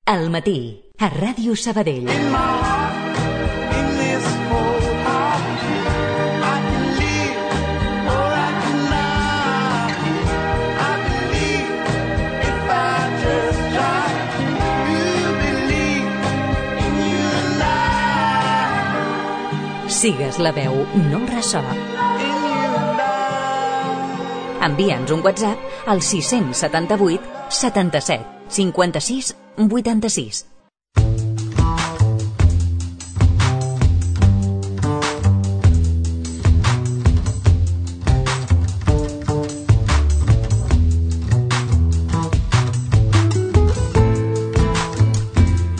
Al matí, a Ràdio Sabadell. Sigues la veu, no el ressò. Envia'ns un WhatsApp al 678 77 56 86.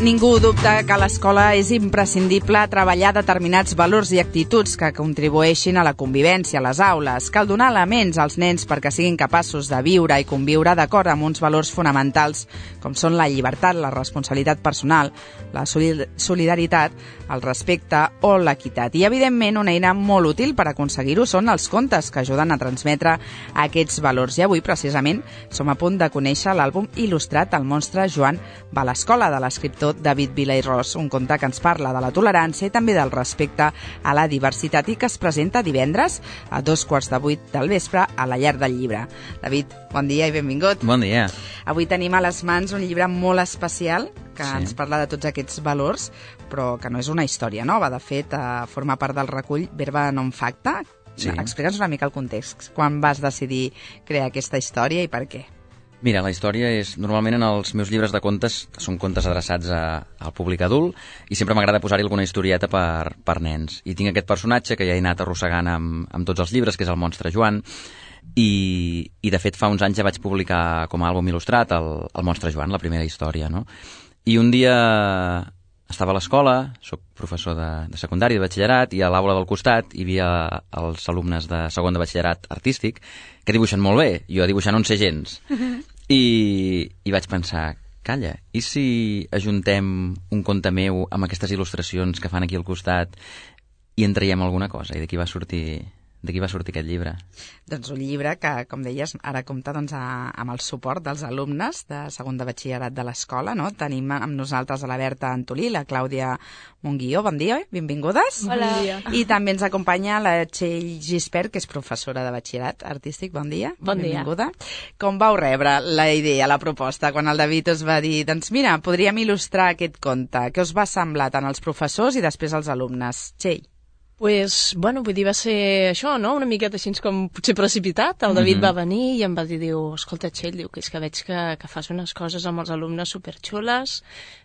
Ningú dubta que a l'escola és imprescindible treballar determinats valors i actituds que contribueixin a la convivència a les aules. Cal donar elements als nens perquè siguin capaços de viure i conviure d'acord amb uns valors fonamentals com són la llibertat, la responsabilitat personal, la solidaritat, el respecte o l'equitat. I, evidentment, una eina molt útil per aconseguir-ho són els contes que ajuden a transmetre aquests valors. I avui, precisament, som a punt de conèixer l'àlbum il·lustrat El monstre Joan va a l'escola, de l'escriptor David Vila i Ros, un conte que ens parla de la tolerància i també del respecte a la diversitat i que es presenta divendres a 7:15 del vespre a la Llar del Llibre. David, bon dia i benvingut. Bon dia. Avui tenim a les mans un llibre molt especial que ens parla de tots aquests valors, però que no és una història nova. De fet, forma part del recull Verba non facta. Sí. Explica'ns una mica el context. Quan vas decidir crear aquesta història i per què? Mira, la història és... Normalment en els meus llibres de contes, que són contes adreçats al públic adult, i sempre m'agrada posar-hi alguna historieta per nens. I tinc aquest personatge que ja he anat arrossegant amb tots els llibres, que és el monstre Joan, i de fet fa uns anys ja vaig publicar com a àlbum il·lustrat el monstre Joan, la primera història, no? I un dia estava a l'escola, soc professor de secundari, de batxillerat, i a l'aula del costat hi havia els alumnes de segon de batxillerat artístic que dibuixen molt bé, jo dibuixant no en sé gens. I vaig pensar, calla, i si ajuntem un conte meu amb aquestes il·lustracions que fan aquí al costat i en traiem alguna cosa? I d'aquí va sortir aquest llibre. Doncs un llibre que, com deies, ara compta amb el suport dels alumnes de segon de batxillerat de l'escola, no? Tenim amb nosaltres a la Berta Antolí, la Clàudia Monguió, bon dia, benvingudes. Hola. I també ens acompanya la Txell Gispert, que és professora de batxillerat artístic, bon dia. Bon dia. Benvinguda. Com vau rebre la idea, la proposta, quan el David us va dir, doncs mira, podríem il·lustrar aquest conte? Què us va semblar tant als professors i després als alumnes? Txell. Pues, bueno, vull dir, va ser això, no? Una miqueta així com potser precipitat. El David va venir i em va dir, escolta, Txell, diu, que és que veig que fas unes coses amb els alumnes superxules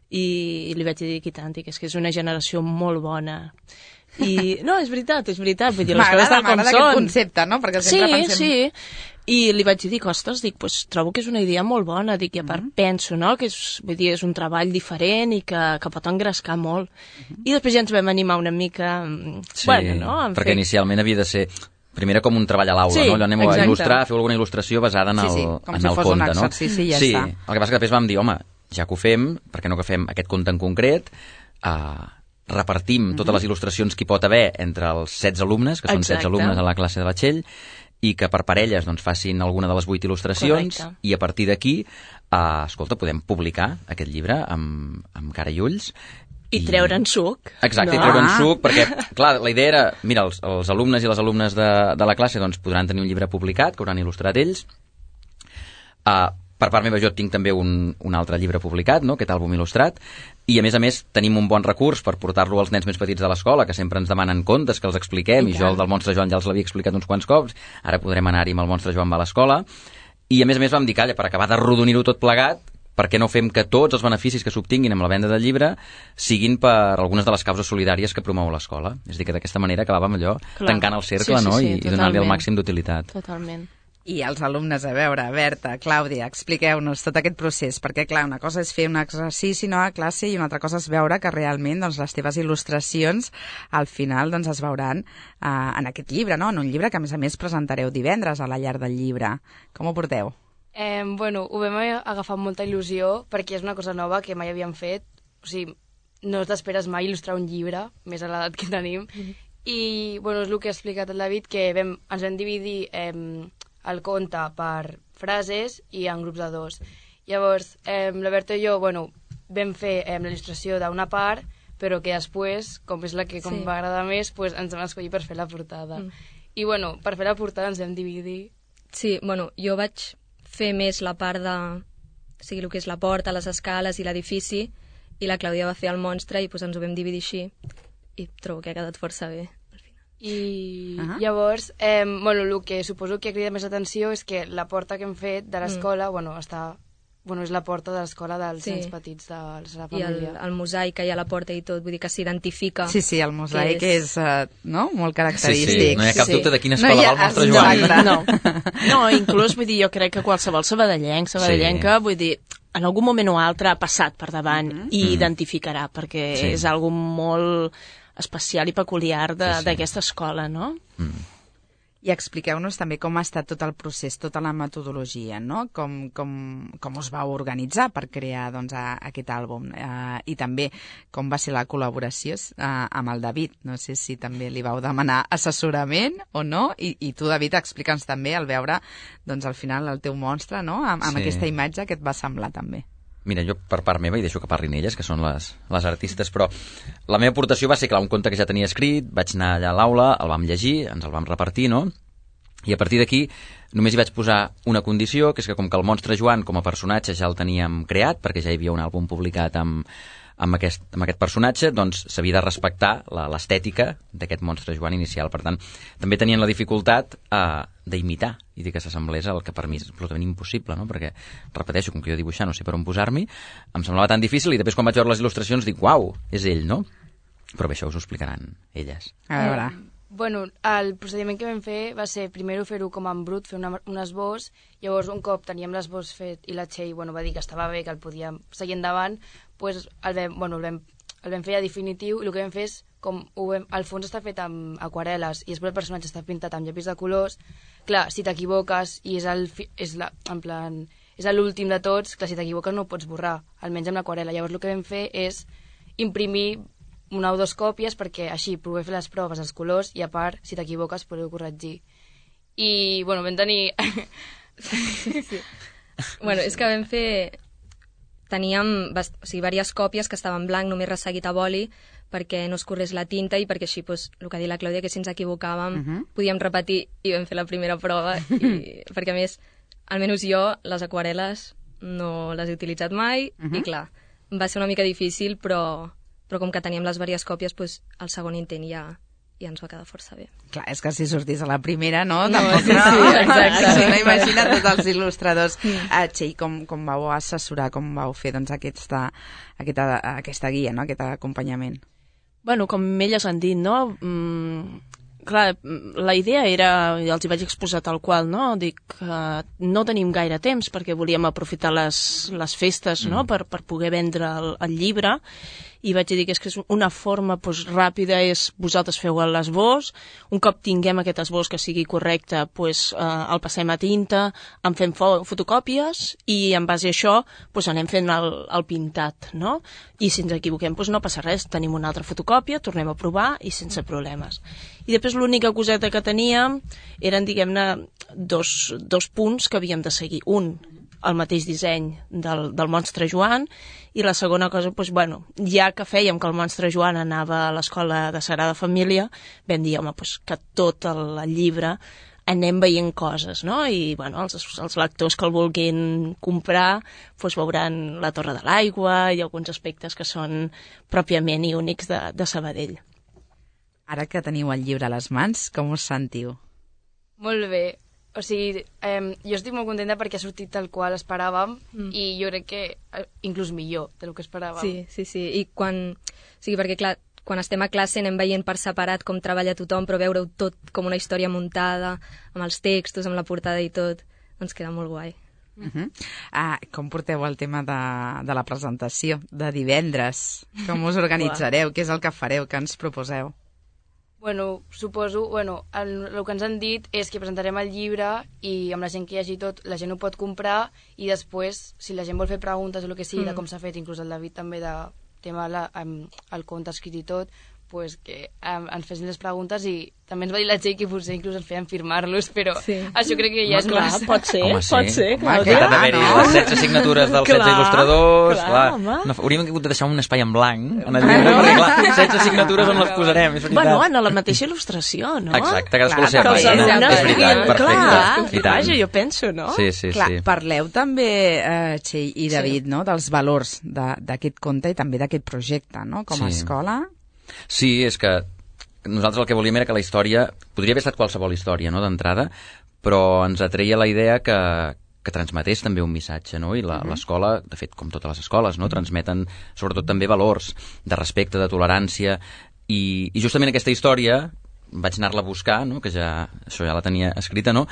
i li vaig dir que tant, que és una generació molt bona. I no, és veritat, vull dir, les coses tal com són. M'agrada aquest concepte, no? Perquè sempre pensem... Sí. I li vaig dir, ostres, pues, trobo que és una idea molt bona, i a part penso, no?, que és un treball diferent i que pot engrescar molt. I després ja ens vam animar una mica... Sí, bueno, no? perquè inicialment havia de ser... Primera com un treball a l'aula, sí, no? Allò anem exacte. A il·lustrar, fer alguna il·lustració basada en el com si fos conte, un no? exercici i ja sí, està. El que passa que després vam dir, home, ja que ho fem, per què no que fem aquest conte en concret, repartim totes les il·lustracions que hi pot haver entre els 16 alumnes, que són 16 alumnes a la classe de batxell, i que per parelles doncs, facin alguna de les 8 il·lustracions. Correcte. I a partir d'aquí, escolta, podem publicar aquest llibre amb cara i ulls. I treure'n suc. Exacte, no? I treure'n suc, perquè, clar, la idea era, mira, els alumnes i les alumnes de la classe doncs, podran tenir un llibre publicat, que hauran il·lustrat ells. Per part meva jo tinc també un altre llibre publicat, no? Aquest àlbum il·lustrat, i a més tenim un bon recurs per portar-lo als nens més petits de l'escola, que sempre ens demanen contes, que els expliquem, i jo el del monstre Joan ja els l'havia explicat uns quants cops, ara podrem anar-hi amb el monstre Joan va a l'escola, i a més vam dir, calla, per acabar d'arrodonir-ho tot plegat, per què no fem que tots els beneficis que s'obtinguin amb la venda del llibre siguin per algunes de les causes solidàries que promou l'escola. És a dir, que d'aquesta manera acabàvem allò tancant el cercle, no? I donant-li el màxim d'utilitat. Totalment. I els alumnes, a veure, Berta, Clàudia, expliqueu-nos tot aquest procés, perquè, clar, una cosa és fer un exercici a classe i una altra cosa és veure que realment doncs, les teves il·lustracions al final doncs, es veuran en aquest llibre, no? En un llibre que, a més, presentareu divendres a la Llar del Llibre. Com ho porteu? Bueno, ho vam agafar amb molta il·lusió perquè és una cosa nova que mai havíem fet. O sigui, no t'esperes mai il·lustrar un llibre, més a l'edat que tenim. I, bueno, és el que ha explicat el David, que ens vam dividir el conte per frases i en grups de 2. Llavors, la Berta i jo, bueno, vam fer la il·lustració d'una part, però que després, com és la que va agradar més, pues, ens vam escollir per fer la portada. I bueno, per fer la portada ens vam dividir. Sí, bueno, jo vaig fer més la part de... O sigui, el que és la porta, les escales i l'edifici, i la Clàudia va fer el monstre i pues, ens ho vam dividir així. I trobo que ha quedat força bé. I llavors, bueno, el que suposo que crida més atenció és que la porta que hem fet de l'escola, és la porta de l'escola dels nens petits de la família. I el mosaic que hi ha a la porta i tot, vull dir que s'identifica. Sí, el mosaic és molt característic. Sí, no hi ha cap dubte de quina escola va el nostre Joan. No, inclús, vull dir, jo crec que qualsevol sabadellenca, vull dir, en algun moment o altre ha passat per davant i identificarà, perquè és algo molt especial i peculiar d'aquesta escola, no? I expliqueu-nos també com ha estat tot el procés, tota la metodologia, no? Com us vau organitzar per crear aquest àlbum i també com va ser la col·laboració amb el David. No sé si també li vau demanar assessorament o no, i tu, David, explica'ns també al veure al final el teu monstre, no? Amb aquesta imatge que et va semblar també. Mira, jo per part meva, i deixo que parlin elles, que són les artistes, però la meva aportació va ser, clar, un conte que ja tenia escrit, vaig anar allà a l'aula, el vam llegir, ens el vam repartir, no? I a partir d'aquí només hi vaig posar una condició, que és que com que el monstre Joan com a personatge ja el teníem creat, perquè ja hi havia un àlbum publicat amb aquest personatge, doncs s'havia de respectar l'estètica d'aquest monstre Joan inicial. Per tant, també tenien la dificultat d'imitar i dir que s'assemblés al que per mi és absolutament impossible, no? Perquè, repeteixo, com que jo dibuixar no sé per on posar-m'hi, em semblava tan difícil i després quan vaig veure les il·lustracions dic, uau, és ell, no? Però bé, això us ho explicaran elles. A veure... Bueno, el procediment que vam fer va ser primer fer-ho com en brut, fer un esbós, llavors un cop teníem l'esbós fet i la Txell va dir que estava bé, que el podíem seguir endavant, doncs el vam fer ja definitiu, i el que vam fer és, el fons està fet amb aquarel·les i després el personatge està pintat amb llapis de colors, clar, si t'equivoques i és l'últim de tots, clar, si t'equivoques no ho pots borrar, almenys amb l'aquarel·la. Llavors el que vam fer és imprimir una o dues còpies perquè així poder fer les proves, els colors, i a part, si t'equivoques, podeu corregir. I, bueno, vam tenir... Sí. Bueno, és que vam fer... Teníem diverses còpies que estaven en blanc, només resseguit a boli, perquè no es corrés la tinta i perquè així, el que ha dit la Clàudia, que si ens equivocàvem podíem repetir i vam fer la primera prova. Perquè, a més, almenys jo, les aquarel·les no les he utilitzat mai i, clar, va ser una mica difícil, però com que teníem les diverses còpies, el segon intent ja ens va quedar força bé. Clar, és que si sortís a la primera, no? Tampoc, sí, exacte. No, imagina't tots els il·lustradors. Txell, com vau assessorar, com vau fer aquesta guia, no? Aquest acompanyament? Bueno, com elles han dit, no? Clar, la idea era, ja els hi vaig exposar tal qual, no? Dic que no tenim gaire temps perquè volíem aprofitar les festes, no? Per poder vendre el llibre, i vaig dir que és una forma ràpida, és vosaltres feu l'esbós, un cop tinguem aquest esbós que sigui correcte, el passem a tinta, en fem fotocòpies i en base a això anem fent el pintat, no? I si ens equivoquem no passa res, tenim una altra fotocòpia, tornem a provar i sense problemes. I després l'única coseta que teníem eren, diguem-ne, dos punts que havíem de seguir. Un, el mateix disseny del monstre Joan, i la segona cosa, ja que fèiem que el monstre Joan anava a l'escola de Sagrada Família, vam dir, home, que tot el llibre anem veient coses, no? I, els lectors que el vulguin comprar, veuran la Torre de l'Aigua i alguns aspectes que són pròpiament i únics de Sabadell. Ara que teniu el llibre a les mans, com us sentiu? Molt bé. O sigui, jo estic molt contenta perquè ha sortit tal qual esperàvem i jo crec que inclús millor del que esperàvem. Sí. I perquè, clar, quan estem a classe anem veient per separat com treballa tothom, però veure-ho tot com una història muntada, amb els textos, amb la portada i tot, doncs queda molt guai. Com porteu el tema de la presentació de divendres? Com us organitzareu? Què és el que fareu? Què ens proposeu? Bueno, suposo, el que ens han dit és que presentarem el llibre i amb la gent que hi hagi tot, la gent ho pot comprar i després, si la gent vol fer preguntes o el que sigui de com s'ha fet, inclús el David també de tema el conte escrit i tot, pues, que ens fessin les preguntes i també ens va dir la Txell que potser inclús ens feien firmar-los, però això crec que ja és clar, massa. pot ser, Home, Clàudia. que ha d'haver-hi les 16 signatures dels 16 il·lustradors, clar, clar. home. No, hauríem hagut de deixar un espai en blanc en el llibre, perquè clar, 16 signatures on les posarem, és veritat. Bueno, en la mateixa il·lustració, no? Exacte, cadascú la Que seva els pàgina. alumnes És veritat, puguin- perfecte. Clar, I tant. vaja, jo penso, no? Sí, sí, Clar, sí. parleu també, Txell i David, no? dels valors d'aquest conte i també d'aquest projecte, no? Com a Sí. escola. Sí, és que nosaltres el que volíem era que la història... Podria haver estat qualsevol història, no?, d'entrada, però ens atreia la idea que transmetés també un missatge, no? I l'escola, de fet, com totes les escoles, no?, transmeten sobretot també valors de respecte, de tolerància, i justament aquesta història vaig anar-la a buscar, no?, que això ja la tenia escrita, no?,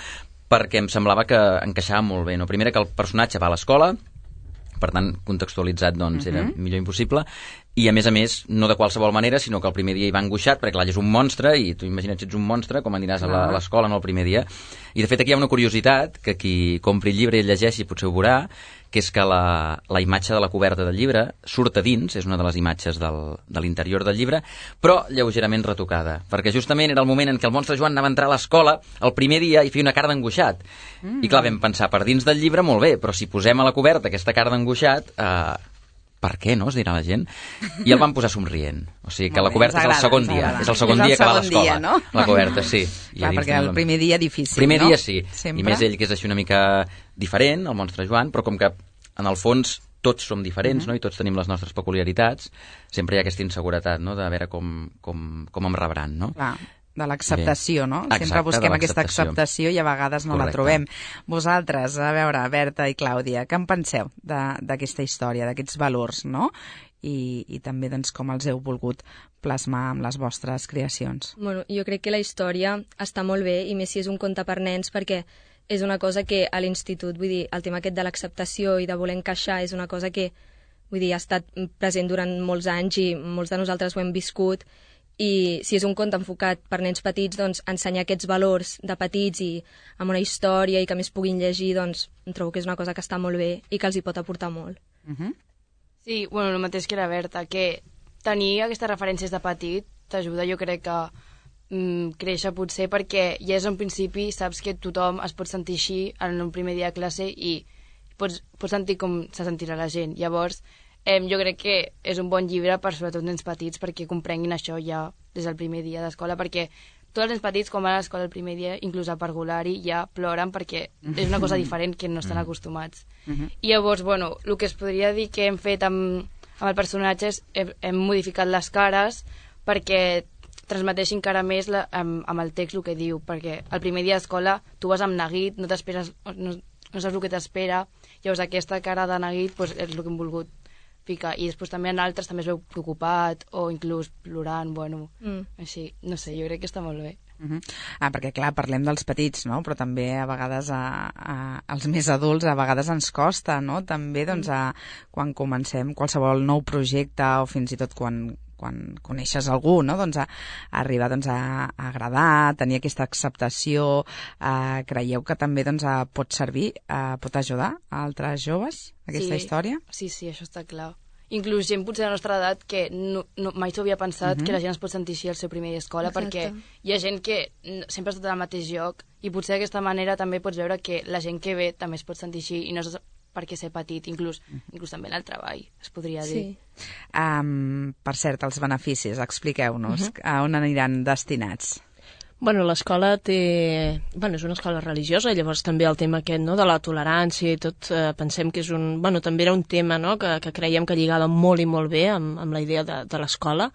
perquè em semblava que encaixava molt bé, no? Primera, que el personatge va a l'escola, per tant, contextualitzat, doncs, era millor impossible, i a més, no de qualsevol manera, sinó que el primer dia hi va angoixat, perquè clar, és un monstre, i tu imagina't si ets un monstre, com aniràs a l'escola no el primer dia. I de fet aquí hi ha una curiositat, que qui compri el llibre i el llegeixi potser ho veurà, que és que la imatge de la coberta del llibre surt a dins, és una de les imatges de l'interior del llibre, però lleugerament retocada, perquè justament era el moment en què el monstre Joan anava a entrar a l'escola el primer dia i feia una cara d'angoixat. I clar, vam pensar, per dins del llibre molt bé, però si posem a la coberta aquesta cara d'angoixat, per què, no?, es dirà la gent. I el van posar somrient. O sigui que la coberta és el segon dia. És el segon dia que va a l'escola. No? La coberta, sí. Clar, perquè el primer dia difícil, primer no? dia sí. Sempre. I més ell, que és així una mica diferent, el monstre Joan, però com que en el fons tots som diferents, no?, i tots tenim les nostres peculiaritats, sempre hi ha aquesta inseguretat, no?, de veure com em rebran, no? Clar, de l'acceptació, no? Exacte, Sempre busquem de aquesta l'acceptació. acceptació i a vegades no la Correcte. trobem. Vosaltres, a veure, Berta i Clàudia, què en penseu d'aquesta història, d'aquests valors, no? I també doncs, com els heu volgut plasmar amb les vostres creacions. Bueno, jo crec que la història està molt bé, i més si és un conte per nens, perquè és una cosa que a l'institut, vull dir, el tema aquest de l'acceptació i de voler encaixar és una cosa que, vull dir, ha estat present durant molts anys i molts de nosaltres ho hem viscut, i si és un conte enfocat per nens petits, doncs ensenyar aquests valors de petits i amb una història i que més puguin llegir, doncs em trobo que és una cosa que està molt bé i que els hi pot aportar molt. Sí, bueno, el mateix que la Berta, que tenir aquestes referències de petit t'ajuda, jo crec que créixer potser, perquè ja és un principi, saps que tothom es pot sentir així en un primer dia de classe i pots sentir com se sentirà la gent. Llavors, jo crec que és un bon llibre per sobretot nens petits perquè comprenguin això ja des del primer dia d'escola, perquè tots els nens petits, com van a l'escola el primer dia, inclús a parvulari, ja ploren perquè és una cosa diferent que no estan acostumats. I llavors, bueno, el que es podria dir que hem fet amb el personatge és hem modificat les cares perquè transmeteixi encara més amb el text el que diu, perquè el primer dia d'escola tu vas amb neguit, no t'esperes, no saps el que t'espera, llavors aquesta cara de neguit pues, és el que hem volgut ficar, i després també en altres també es veu preocupat o inclús plorant, bueno, així, no sé, jo crec que està molt bé. Perquè clar, parlem dels petits, no? Però també a vegades als més adults a vegades ens costa, no? També doncs, quan comencem qualsevol nou projecte o fins i tot quan coneixes algú, no? Doncs a arribar doncs, a agradar, tenir aquesta acceptació, creieu que també doncs, pot servir, pot ajudar a altres joves aquesta història? Sí, això està clar. Inclús gent potser de la nostra edat que mai s'ho havia pensat que la gent es pot sentir així al seu primer dia d'escola, perquè hi ha gent que sempre ha estat al mateix lloc i potser d'aquesta manera també pots veure que la gent que ve també es pot sentir així i no és perquè ser petit, inclús també en el treball, es podria dir. Per cert, els beneficis, expliqueu-nos a on aniran destinats. Bueno, l'escola té... Bueno, és una escola religiosa, i llavors també el tema aquest, no?, de la tolerància i tot, pensem que és un... Bueno, també era un tema, no?, que creiem que lligava molt i molt bé amb la idea de l'escola.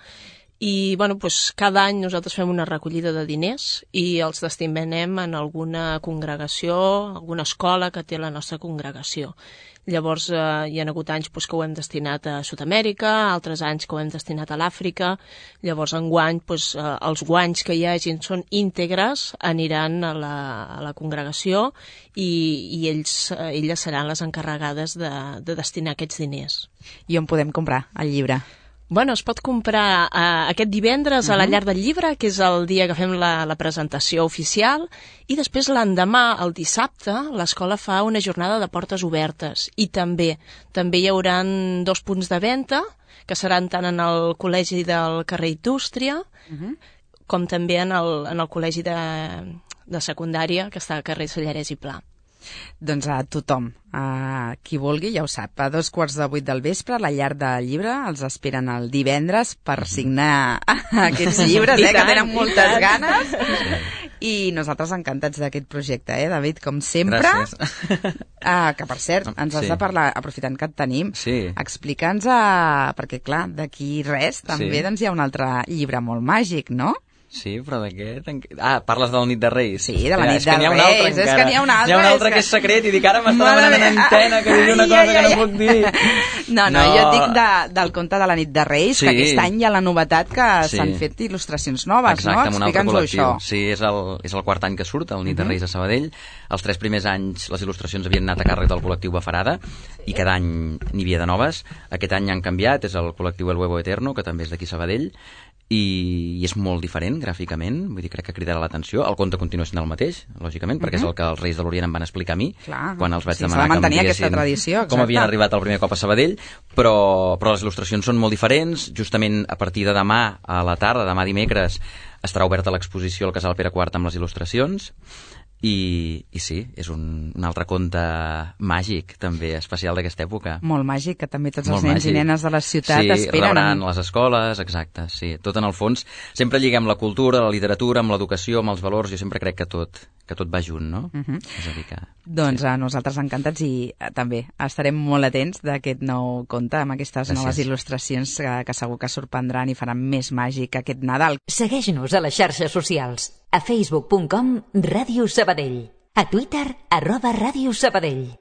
I, bueno, doncs cada any nosaltres fem una recollida de diners i els destinem en alguna congregació, alguna escola que té la nostra congregació. Llavors hi ha hagut anys que ho hem destinat a Sud-amèrica, altres anys que ho hem destinat a l'Àfrica. Llavors enguany els guanys que hi hagin són íntegres, aniran a la congregació i elles seran les encarregades de destinar aquests diners. I on podem comprar el llibre? Bueno, es pot comprar aquest divendres a la Llar del Llibre, que és el dia que fem la presentació oficial, i després l'endemà, el dissabte, l'escola fa una jornada de portes obertes. I també hi haurà 2 punts de venda, que seran tant en el col·legi del carrer Indústria, com també en el col·legi de secundària, que està al carrer Sallarès i Pla. Doncs a tothom, qui vulgui, ja ho sap, a 7:15 del vespre, a la Llar del Llibre, els esperen el divendres per signar aquests llibres, que tenen moltes ganes. I nosaltres encantats d'aquest projecte, David, com sempre. Gràcies. Que, per cert, ens has de parlar, aprofitant que et tenim, explica'ns, perquè, clar, d'aquí res, també doncs, hi ha un altre llibre molt màgic, no? Sí, però d'aquest... parles de la nit de Reis. Sí, de la nit de Reis. És que n'hi ha un altre. Hi ha un altre que és secret i dic, ara m'està demanant una antena que digui una cosa que no puc dir. No, jo et dic del conte de la nit de Reis, que aquest any hi ha la novetat que s'han fet il·lustracions noves, no? Exacte, amb un altre col·lectiu. Això. Sí, és el quart any que surt, el Nit de Reis a Sabadell. Els 3 primers anys les il·lustracions havien anat a càrrec del col·lectiu Bafarada i cada any n'hi havia de noves. Aquest any han canviat, és el col·lectiu El Huevo Eterno, que també és d'aquí Sabadell, i és molt diferent gràficament, vull dir, crec que cridarà l'atenció. El conte continua sent el mateix, lògicament, perquè és el que els Reis de l'Orient em van explicar a mi, quan els vaig demanar que em diguessin com havien arribat el primer cop a Sabadell, però les il·lustracions són molt diferents. Justament a partir de demà a la tarda, demà dimecres, estarà oberta l'exposició al Casal Pere IV amb les il·lustracions. I sí, és un altre conte màgic, també, especial d'aquesta època. Molt màgic, que també tots els nens i nenes de la ciutat esperen. Sí, rebran les escoles, exacte, sí. Tot en el fons, sempre lliguem la cultura, la literatura, amb l'educació, amb els valors, jo sempre crec que tot va junt, no? És a dir que... Doncs nosaltres encantats i també estarem molt atents d'aquest nou conte, amb aquestes noves il·lustracions que segur que sorprendran i faran més màgic aquest Nadal. Segueix-nos a les xarxes socials. A facebook.com/Ràdio Sabadell. A Twitter @Ràdio Sabadell.